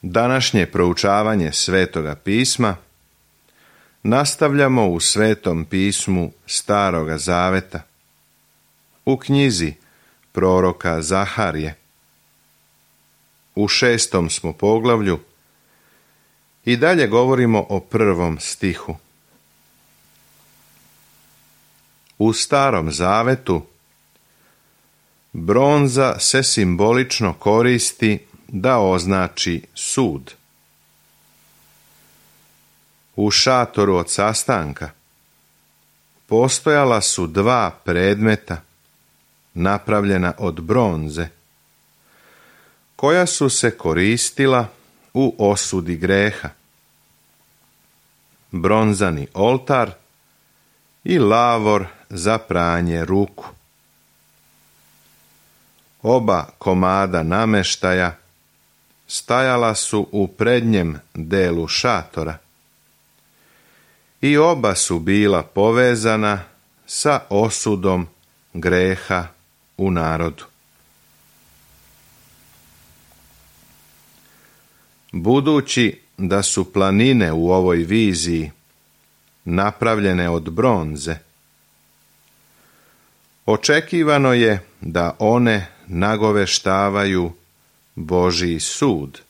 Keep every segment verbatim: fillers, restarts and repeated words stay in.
Današnje proučavanje Svetoga pisma nastavljamo u Svetom pismu Staroga zaveta, u knjizi proroka Zaharije. U šestom smo poglavlju i dalje govorimo o prvom stihu. U Starom zavetu bronza se simbolično koristi da označi sud. U šatoru od sastanka postojala su dva predmeta napravljena od bronze, koja su se koristila u osudi greha. Bronzani oltar i lavor za pranje ruku. Oba komada nameštaja stajala su u prednjem delu šatora i oba su bila povezana sa osudom greha u narodu. Budući da su planine u ovoj viziji napravljene od bronze, očekivano je da one nagoveštavaju Božji sud,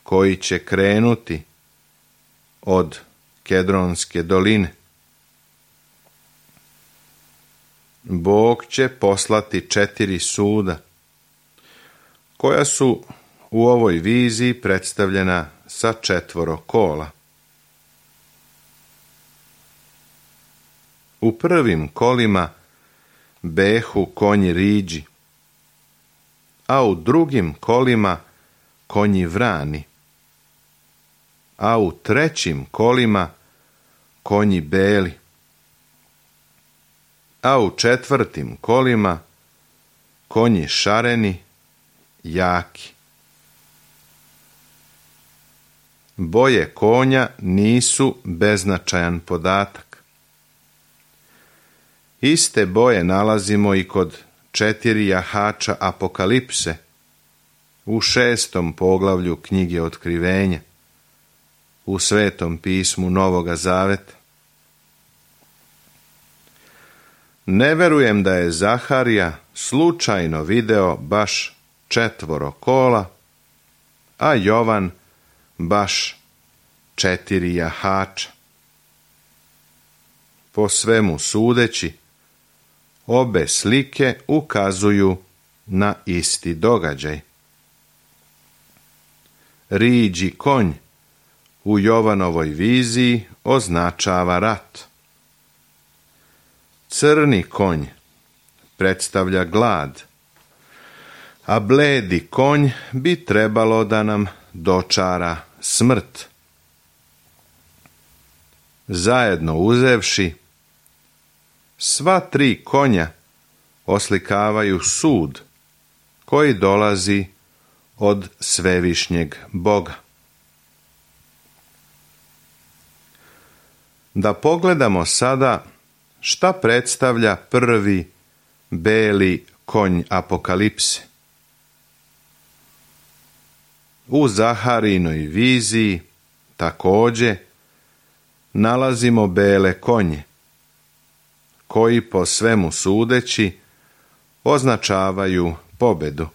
koji će krenuti od Kedronske doline. Bog će poslati četiri suda, koja su u ovoj viziji predstavljena sa četvoro kola. U prvim kolima behu konji riđi, a u drugim kolima konji vrani, a u trećim kolima konji beli, a u četvrtim kolima konji šareni, jaki. Boje konja nisu beznačajan podatak. Iste boje nalazimo i kod četiri jahača Apokalipse u šestom poglavlju knjige Otkrivenja u Svetom pismu Novoga zaveta. Ne verujem da je Zaharija slučajno video baš četvoro kola, a Jovan baš četiri jahača. Po svemu sudeći, obe slike ukazuju na isti događaj. Riđi konj u Jovanovoj viziji označava rat. Crni konj predstavlja glad, a bledi konj bi trebalo da nam dočara smrt. Zajedno uzevši, sva tri konja oslikavaju sud koji dolazi od svevišnjeg Boga. Da pogledamo sada šta predstavlja prvi beli konj Apokalipse. U Zaharijinoj viziji također nalazimo bele konje, koji po svemu sudeći označavaju pobedu.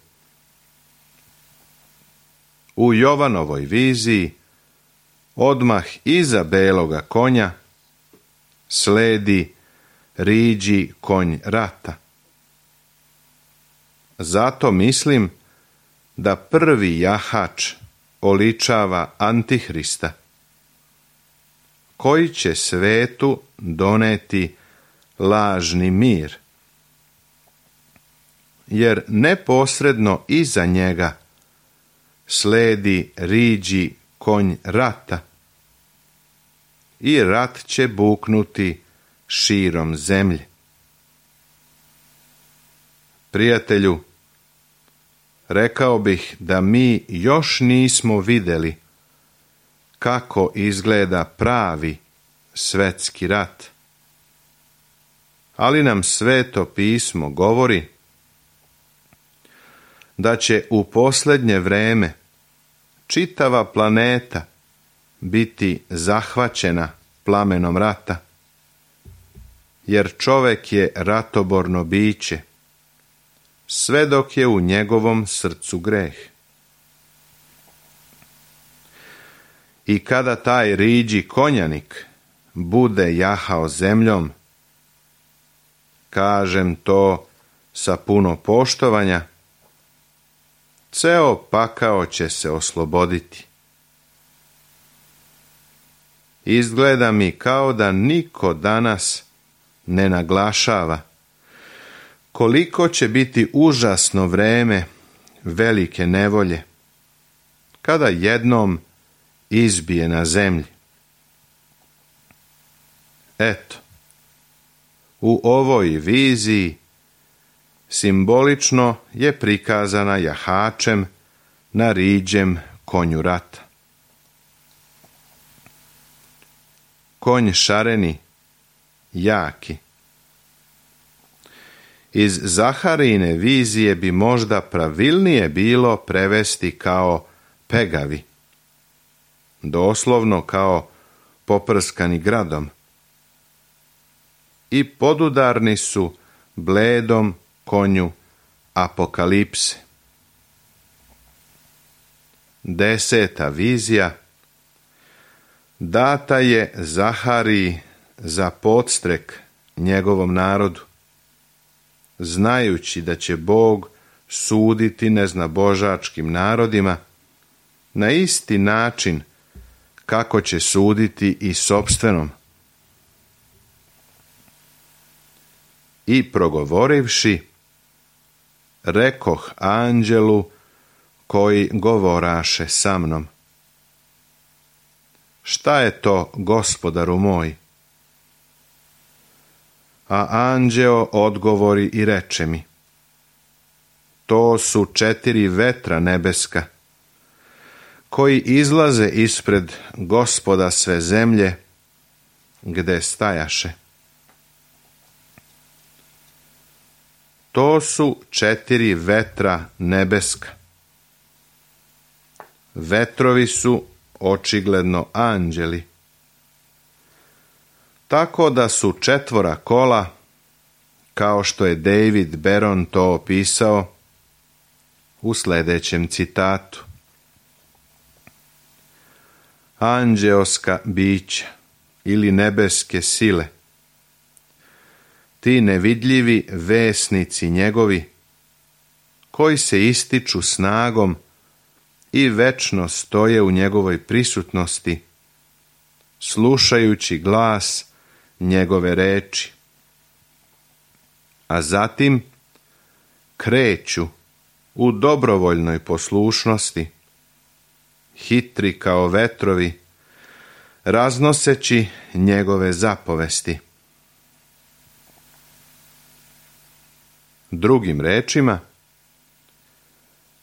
U Jovanovoj viziji odmah iza beloga konja sledi riđi konj rata. Zato mislim da prvi jahač oličava Antihrista, koji će svetu doneti lažni mir, jer neposredno iza njega sledi riđi konj rata i rat će buknuti širom zemlje. Prijatelju, rekao bih da mi još nismo vidjeli kako izgleda pravi svetski rat. Ali nam Sveto pismo govori da će u posljednje vreme čitava planeta biti zahvaćena plamenom rata, jer čovek je ratoborno biće, sve dok je u njegovom srcu greh. I kada taj riđi konjanik bude jahao zemljom, kažem to sa puno poštovanja, ceo pakao će se osloboditi. Izgleda mi kao da niko danas ne naglašava koliko će biti užasno vreme velike nevolje, kada jednom izbije na zemlji. Eto, u ovoj viziji simbolično je prikazana jahačem na riđem konju rata. Konj šareni, jaki. Iz Zaharijine vizije bi možda pravilnije bilo prevesti kao pegavi, doslovno kao poprskani gradom, i podudarni su bledom konju apokalipse. Deseta vizija data je Zahariji za podstrek njegovom narodu, znajući da će Bog suditi neznabožačkim narodima na isti način kako će suditi i sopstvenom. I progovorivši, rekoh anđelu koji govoraše sa mnom: šta je to, gospodaru moj? A anđeo odgovori i reče mi: to su četiri vetra nebeska, koji izlaze ispred Gospoda sve zemlje, gde stajaše. To su četiri vetra nebeska. Vetrovi su očigledno anđeli, tako da su četvora kola, kao što je David Beron to opisao u sljedećem citatu: anđeoska bića ili nebeske sile, ti nevidljivi vesnici njegovi, koji se ističu snagom i večno stoje u njegovoj prisutnosti, slušajući glas njegove reči, a zatim kreću u dobrovoljnoj poslušnosti, hitri kao vetrovi, raznoseći njegove zapovesti. Drugim rečima,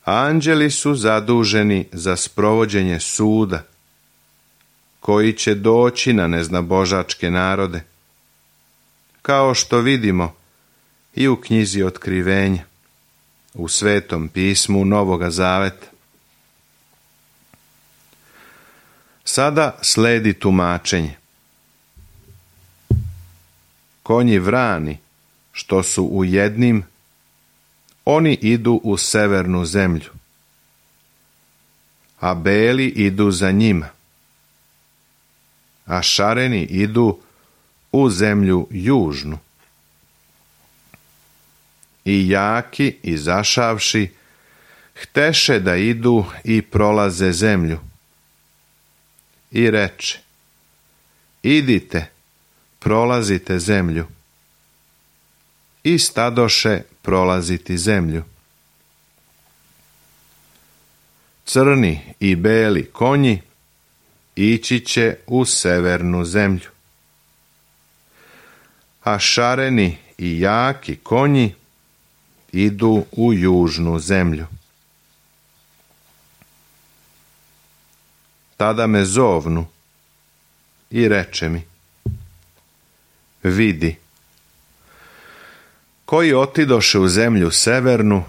anđeli su zaduženi za sprovođenje suda, koji će doći na neznabožačke narode, kao što vidimo i u knjizi Otkrivenja, u Svetom pismu Novoga Zaveta. Sada sledi tumačenje. Konji vrani, što su u jednim, oni idu u severnu zemlju, a beli idu za njima, a šareni idu u zemlju južnu. I jaki, izašavši, hteše da idu i prolaze zemlju. I reče: idite, prolazite zemlju. I stadoše prolaziti zemlju. Crni i beli konji ići će u severnu zemlju, a šareni i jaki konji idu u južnu zemlju. Tada me zovnu i reče mi: vidi, koji otidoše u zemlju severnu,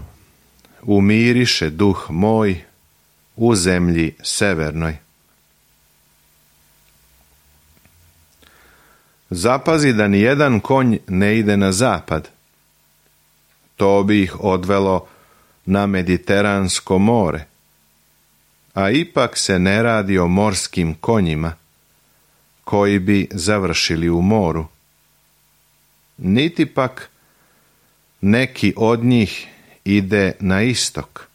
umiriše duh moj u zemlji severnoj. Zapazi da ni jedan konj ne ide na zapad. To bi ih odvelo na Mediteransko more, a ipak se ne radi o morskim konjima, koji bi završili u moru. Niti pak neki od njih ide na istok,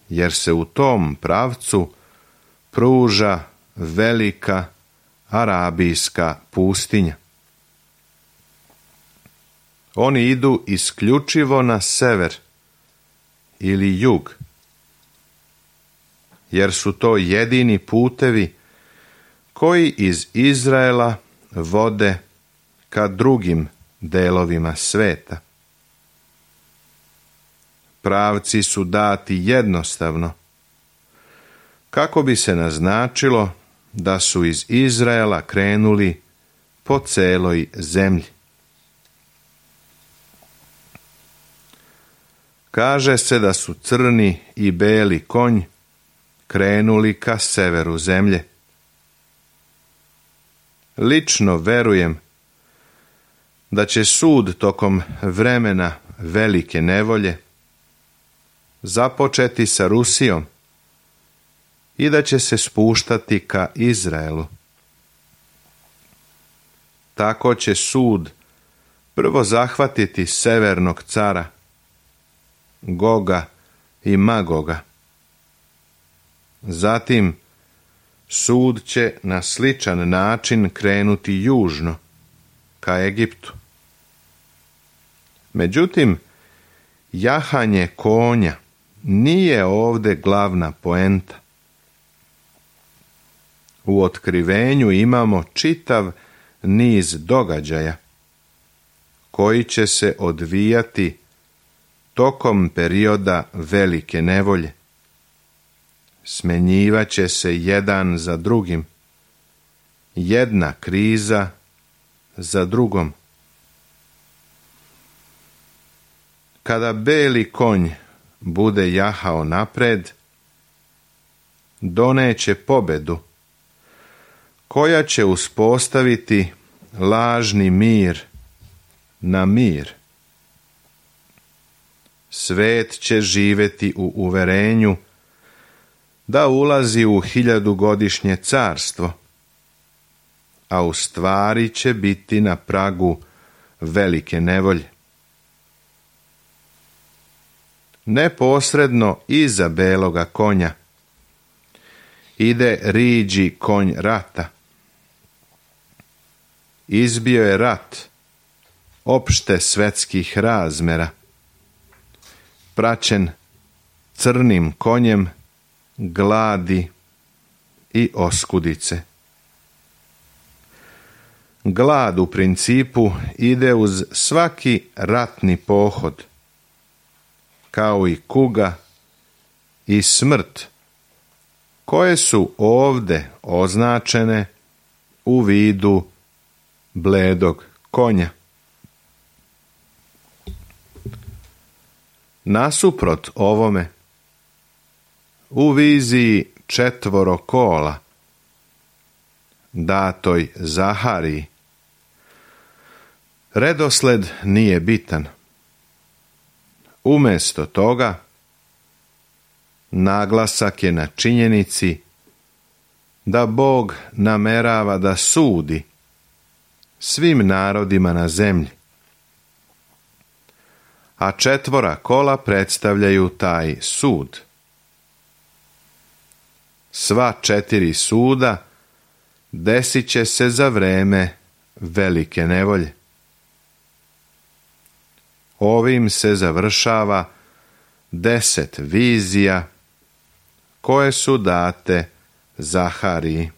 jer se u tom pravcu pruža velika arabijska pustinja. Oni idu isključivo na sever ili jug, jer su to jedini putevi koji iz Izraela vode ka drugim delovima sveta. Pravci su dati jednostavno, kako bi se naznačilo da su iz Izraela krenuli po celoj zemlji. Kaže se da su crni i beli konj krenuli ka severu zemlje. Lično verujem da će sud tokom vremena velike nevolje započeti sa Rusijom i da će se spuštati ka Izraelu. Tako će sud prvo zahvatiti severnog cara, Goga i Magoga. Zatim sud će na sličan način krenuti južno, ka Egiptu. Međutim, jahanje konja nije ovdje glavna poenta. U otkrivenju imamo čitav niz događaja koji će se odvijati tokom perioda velike nevolje. Smenjivat će se jedan za drugim, jedna kriza za drugom. Kada beli konj bude jahao napred, doneće pobedu, koja će uspostaviti lažni mir na mir. Svet će živjeti u uverenju da ulazi u hiljadugodišnje carstvo, a u stvari će biti na pragu velike nevolje. Neposredno iza beloga konja ide riđi konj rata. Izbio je rat opšte svetskih razmera, praćen crnim konjem gladi i oskudice. Glad u principu ide uz svaki ratni pohod, kao i kuga i smrt, koje su ovde označene u vidu bledog konja. Nasuprot ovome, u viziji četvoro kola, datoj Zahariji, redosled nije bitan. Umjesto toga, naglasak je na činjenici da Bog namerava da sudi svim narodima na zemlji, a četvora kola predstavljaju taj sud. Sva četiri suda desit će se za vreme velike nevolje. Ovim se završava deset vizija koje su date Zahariji.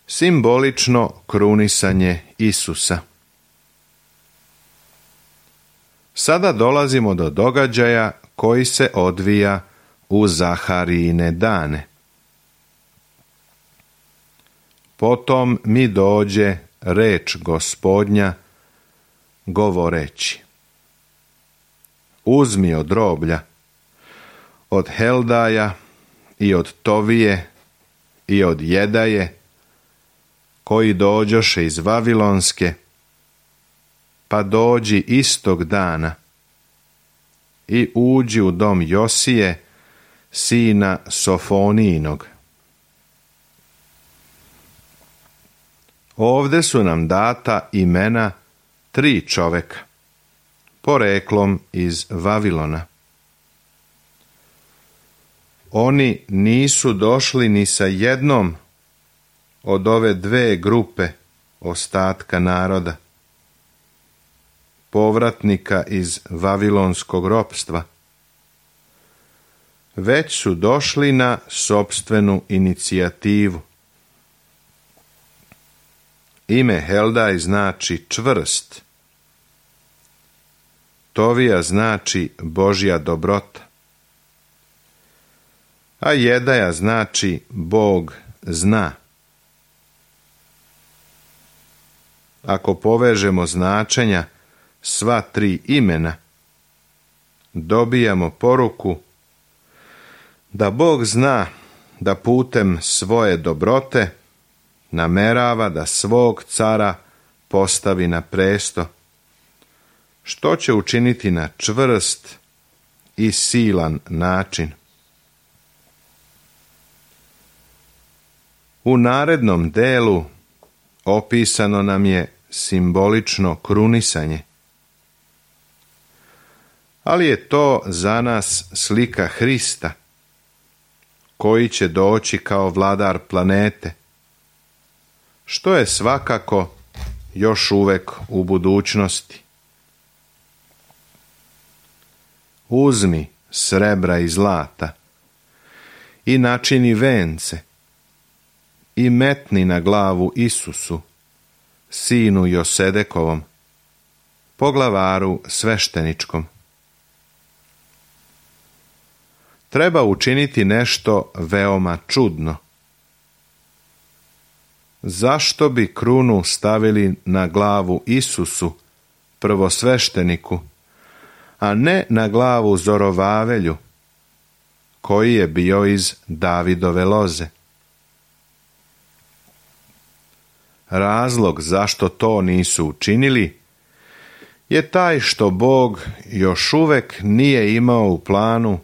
Simbolično krunisanje Isusa. Sada dolazimo do događaja koji se odvija u Zaharijine dane. Potom mi dođe reč Gospodnja govoreći: uzmi od roblja, od Heldaja i od Tovije i od Jedaje, koji dođoše iz Vavilonske, pa dođi istog dana i uđi u dom Josije, sina Sofonijinog. Ovde su nam data imena tri čoveka, poreklom iz Vavilona. Oni nisu došli ni sa jednom od ove dve grupe ostatka naroda, povratnika iz vavilonskog ropstva, već su došli na sopstvenu inicijativu. Ime Heldaj znači čvrst, Tovija znači Božja dobrota, a Jedaja znači Bog zna. Ako povežemo značenja sva tri imena, dobijamo poruku da Bog zna da putem svoje dobrote namerava da svog cara postavi na presto, što će učiniti na čvrst i silan način. U narednom delu opisano nam je simbolično krunisanje, ali je to za nas slika Hrista, koji će doći kao vladar planete, što je svakako još uvek u budućnosti. Uzmi srebra i zlata i načini vence i metni na glavu Isusu, sinu Josedekovom, poglavaru svešteničkom. Treba učiniti nešto veoma čudno. Zašto bi krunu stavili na glavu Isusu, prvosvešteniku, a ne na glavu Zorovavelju, koji je bio iz Davidove loze? Razlog zašto to nisu učinili je taj što Bog još uvek nije imao u planu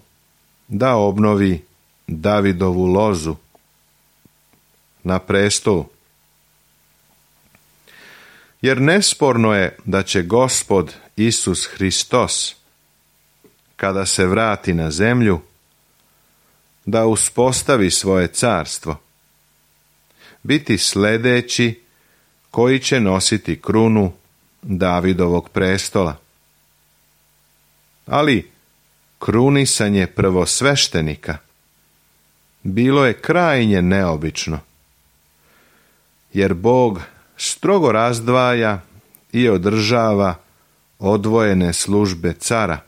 da obnovi Davidovu lozu na prestolu. Jer nesporno je da će Gospod Isus Hristos, kada se vrati na zemlju, da uspostavi svoje carstvo, biti sljedeći koji će nositi krunu Davidovog prestola. Ali krunisanje prvosveštenika bilo je krajnje neobično, jer Bog strogo razdvaja i održava odvojene službe cara,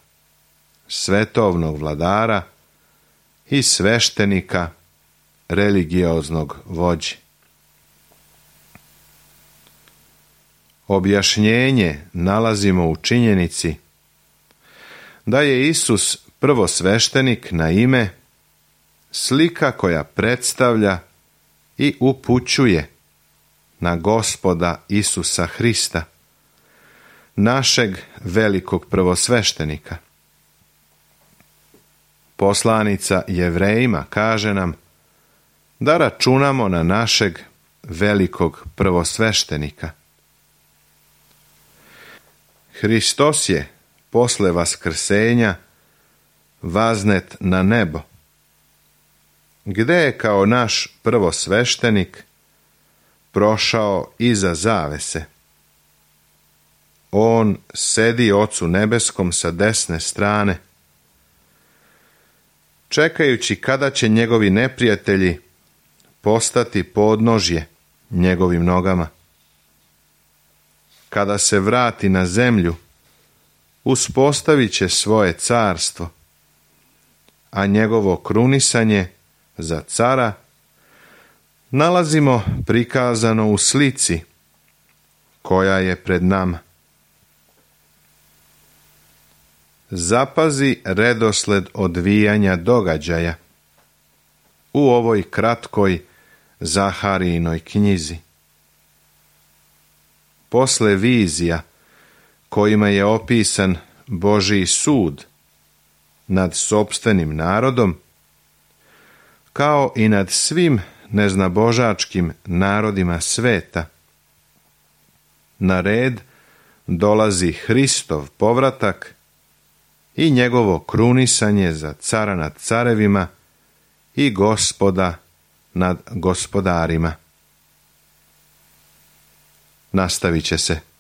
svetovnog vladara i sveštenika, religioznog vođe. Objašnjenje nalazimo u činjenici da je Isus prvosveštenik na ime slika koja predstavlja i upućuje na Gospoda Isusa Hrista, našeg velikog prvosveštenika. Poslanica Jevrejima kaže nam da računamo na našeg velikog prvosveštenika. Hristos je posle vaskrsenja vaznet na nebo, gde je kao naš prvosveštenik prošao iza zavese. On sedi Ocu nebeskom sa desne strane, čekajući kada će njegovi neprijatelji postati podnožje njegovim nogama. Kada se vrati na zemlju, uspostavit će svoje carstvo, a njegovo krunisanje za cara nalazimo prikazano u slici koja je pred nama. Zapazi redosled odvijanja događaja u ovoj kratkoj Zaharijinoj knjizi. Posle vizija kojima je opisan Božji sud nad sopstvenim narodom, kao i nad svim neznabožačkim narodima sveta, na red dolazi Hristov povratak i njegovo krunisanje za cara nad carevima i gospoda nad gospodarima. Nastavit će se.